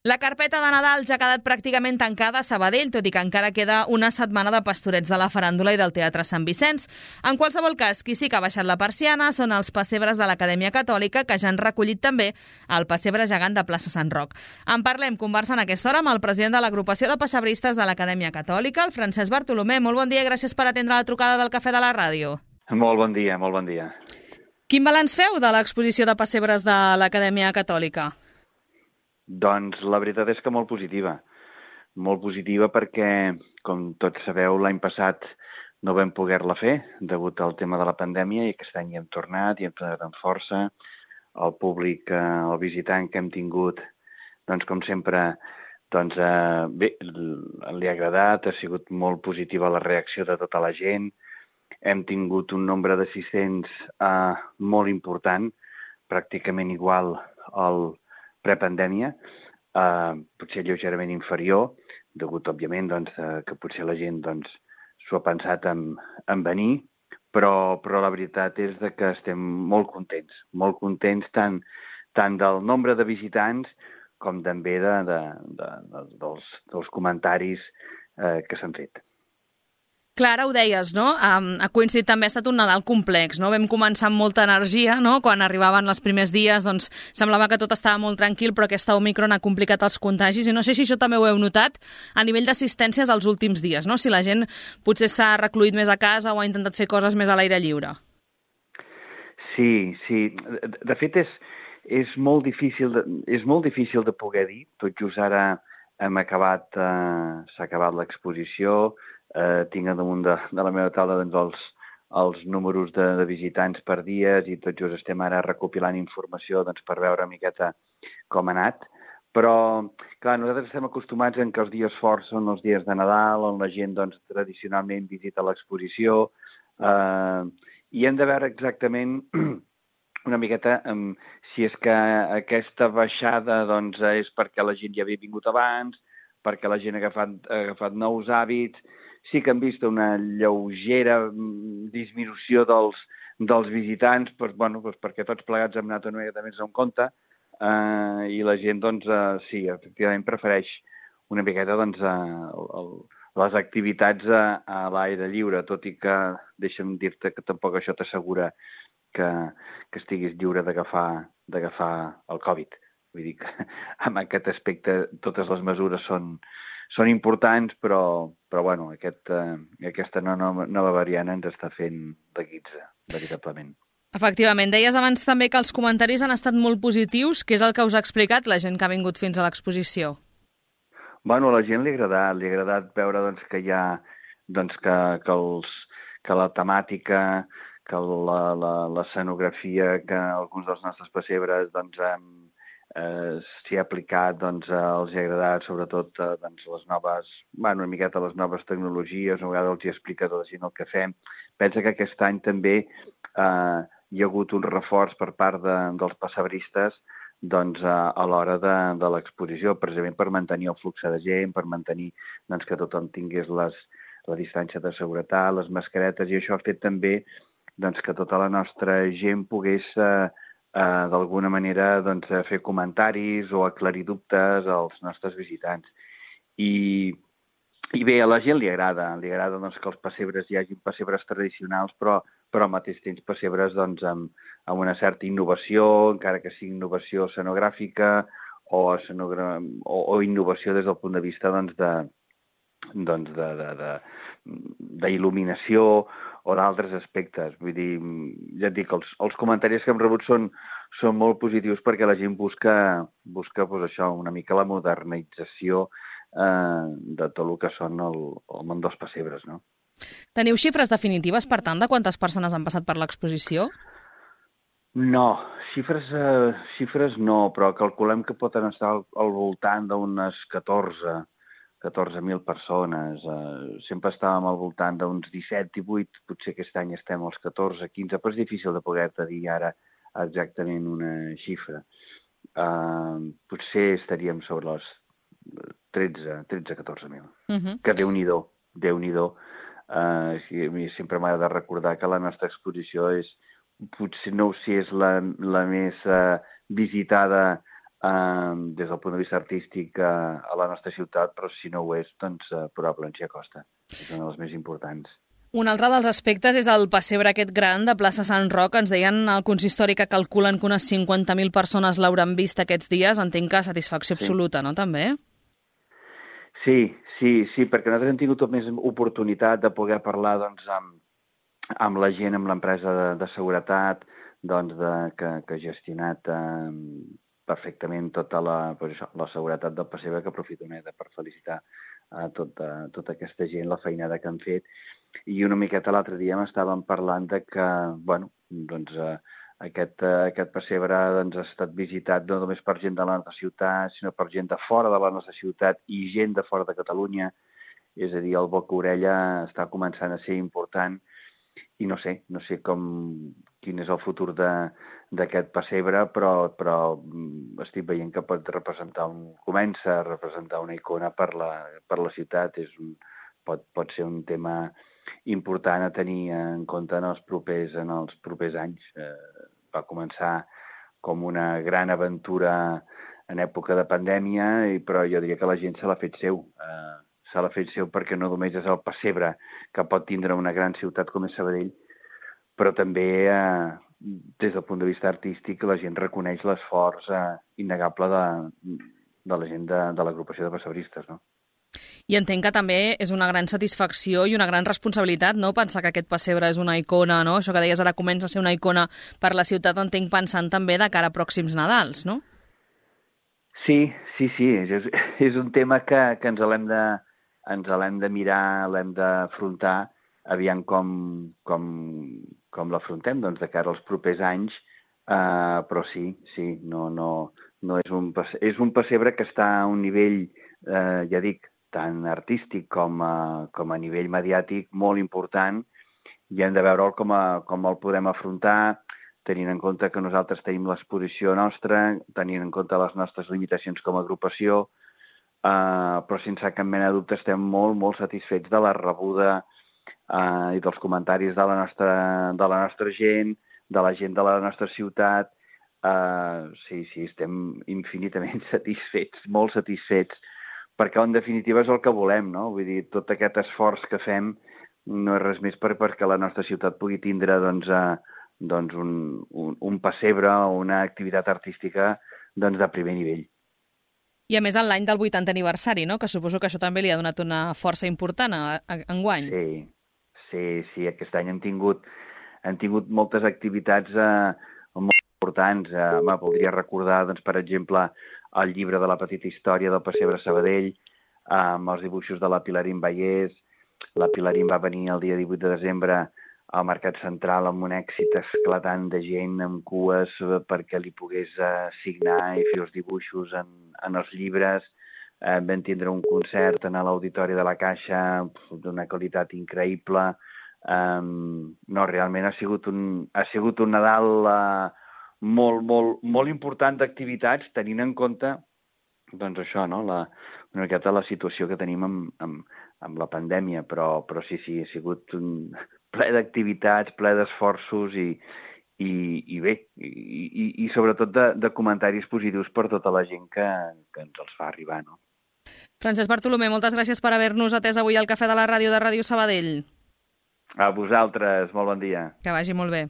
La carpeta de Nadal ja ha quedat pràcticament tancada a Sabadell, tot i que encara queda una setmana de pastorets de la faràndula i del Teatre Sant Vicenç. En qualsevol cas, qui sí que ha baixat la persiana són els pessebres de l'Acadèmia Catòlica, que ja han recollit també el pessebre gegant de plaça Sant Roc. En parlem, conversant a aquesta hora amb el president de l'agrupació de pessebristes de l'Acadèmia Catòlica, el Francesc Bartolomé. Molt bon dia i gràcies per atendre la trucada del Cafè de la Ràdio. Molt bon dia, molt bon dia. Quin balanç feu de l'exposició de pessebres de l'Acadèmia Catòlica? Doncs la veritat és que molt positiva. Molt positiva perquè, com tots sabeu, l'any passat no vam poder-la fer degut al tema de la pandèmia i aquest any hi hem tornat amb força. El públic, el visitant que hem tingut, doncs com sempre, bé, li ha agradat, ha sigut molt positiva la reacció de tota la gent. Hem tingut un nombre d'assistents molt important, pràcticament igual al prepandèmia, potser lleugerament inferior, degut, òbviament, que potser la gent s'ho ha pensat en venir, però la veritat és que estem molt contents tant del nombre de visitants com també dels comentaris que s'han fet. Clar, ara ho deies, no? Ha coincidit també, ha estat un Nadal complex, no? Vam començar amb molta energia, no? Quan arribaven els primers dies, doncs semblava que tot estava molt tranquil, però aquesta Omicron ha complicat els contagis i no sé si això també ho heu notat a nivell d'assistències els últims dies, no? Si la gent potser s'ha recluït més a casa o ha intentat fer coses més a l'aire lliure. Sí. De fet, és molt difícil de poder dir. Tot just ara s'ha acabat l'exposició. Tinc a damunt de la meva taula els números de visitants per dies i tot just estem ara recopilant informació per veure una miqueta com ha anat. Però, clar, nosaltres estem acostumats en que els dies forts són els dies de Nadal, on la gent tradicionalment visita l'exposició, i hem de veure exactament una miqueta si és que aquesta baixada és perquè la gent ja havia vingut abans, perquè la gent ha agafat nous hàbits. Sí que hem vist una lleugera disminució dels visitants, perquè tots plegats hem anat una miqueta més en compte, i la gent, sí, efectivament prefereix una miqueta les activitats a l'aire lliure, tot i que deixa'm dir-te que tampoc això t'assegura que estiguis lliure d'agafar el Covid. Vull dir que en aquest aspecte totes les mesures són importants, però bueno, aquesta nova variant ens està fent de guitza, veritablement. Efectivament. Deies abans també que els comentaris han estat molt positius. Què és el que us ha explicat la gent que ha vingut fins a l'exposició? Bueno, a la gent li ha agradat veure que hi ha que la temàtica, que l'escenografia, que alguns dels nostres pessebres s'hi ha aplicat, els ha agradat, sobretot les noves, una miqueta les noves tecnologies, una vegada els hi explica a la gent el que fem. Pensa que aquest any també hi ha hagut un reforç per part dels pessebristes a l'hora de l'exposició, precisament per mantenir el flux de gent, per mantenir que tothom tingués la distància de seguretat, les mascaretes, i això ha fet també que tota la nostra gent pogués d'alguna manera fer comentaris o aclarir dubtes als nostres visitants. I bé, a la gent li agrada que els pessebres hi hagi pessebres tradicionals, però al mateix temps pessebres amb una certa innovació, encara que sigui innovació escenogràfica o innovació des del punt de vista d'il·luminació o d'altres aspectes. Vull dir, ja et dic, els comentaris que hem rebut són molt positius perquè la gent busca això, una mica la modernització de tot el que són el món dels pessebres, no? Teniu xifres definitives, per tant, de quantes persones han passat per l'exposició? No, xifres no, però calculem que poden estar al voltant d'unes 14.000 persones. Sempre estàvem al voltant d'uns 17, 18, potser aquest any estem als 14, 15, però és difícil de poder-te dir ara exactament una xifra. Potser estaríem sobre les 13-14.000. Que Déu-n'hi-do. Sempre m'ha de recordar que la nostra exposició potser no sé si és la més visitada des del punt de vista artístic a la nostra ciutat, però si no ho és, doncs probablement s'hi acosta. És una de les més importants. Un altre dels aspectes és el pessebre aquest gran de plaça Sant Roc. Ens deien al consistori que calculen que unes 50.000 persones l'hauran vist aquests dies. Entenc que satisfacció absoluta, no, també? Sí, perquè nosaltres hem tingut més oportunitat de poder parlar doncs, amb la gent, amb l'empresa de seguretat, doncs, que ha gestionat perfectament tota la seguretat del pessebre, que aprofito per felicitar a tota aquesta gent, la feinada que han fet. I una miqueta l'altre dia m'estàvem parlant de que, bueno, doncs, aquest pessebre doncs, ha estat visitat no només per gent de la nostra ciutat, sinó per gent de fora de la nostra ciutat i gent de fora de Catalunya. És a dir, el boca-orella està començant a ser important i no sé quin és el futur d'aquest pessebre, però estic veient que comença a representar una icona per la ciutat. Pot ser un tema important a tenir en compte en els propers anys. Va començar com una gran aventura en època de pandèmia, però jo diria que la gent se l'ha fet seu. Se l'ha fet seu perquè no només és el pessebre que pot tindre una gran ciutat com és Sabadell, però també des del punt de vista artístic la gent reconeix l'esforç innegable de la gent de l'agrupació de pessebristes, no? I entenc que també és una gran satisfacció i una gran responsabilitat, no?, pensar que aquest pessebre és una icona, no? Això que deies ara comença a ser una icona per la ciutat, entenc pensant també de cara a pròxims Nadals, no? Sí. És un tema que ens l'hem de mirar, l'hem d'afrontar, aviam com l'afrontem, doncs, de cara als propers anys, però sí, no és un pessebre que està a un nivell, ja dic, tant artístic com a nivell mediàtic molt important, i hem de veure'l com el podem afrontar, tenint en compte que nosaltres tenim l'exposició nostra, tenint en compte les nostres limitacions com a agrupació, però sense cap mena de dubte estem molt, molt satisfets de la rebuda i dels comentaris de la nostra gent, de la gent de la nostra ciutat. Sí, estem infinitament satisfets, molt satisfets, perquè en definitiva és el que volem, no? Vull dir, tot aquest esforç que fem no és res més perquè la nostra ciutat pugui tindre doncs un pessebre o una activitat artística doncs, de primer nivell. I a més en l'any del 80 aniversari, no?, que suposo que això també li ha donat una força important enguany. Sí, aquest any hem tingut moltes activitats molt importants. Voldria recordar, doncs, per exemple, el llibre de la petita història del pessebre Sabadell, amb els dibuixos de la Pilarín Vallès. La Pilarín va venir el dia 18 de desembre al Mercat Central amb un èxit esclatant de gent amb cues perquè li pogués signar i fer els dibuixos en els llibres. Vam tindre un concert en l'Auditori de la Caixa d'una qualitat increïble. Realment ha sigut un Nadal molt, molt, molt important d'activitats, tenint en compte doncs això, no? Una miqueta la situació que tenim amb la pandèmia, però sí, ha sigut un ple d'activitats, ple d'esforços i bé, i sobretot de comentaris positius per tota la gent que ens els fa arribar, no? Francesc Bartolomé, moltes gràcies per haver-nos atès avui al Cafè de la Ràdio de Ràdio Sabadell. A vosaltres, molt bon dia. Que vagi molt bé.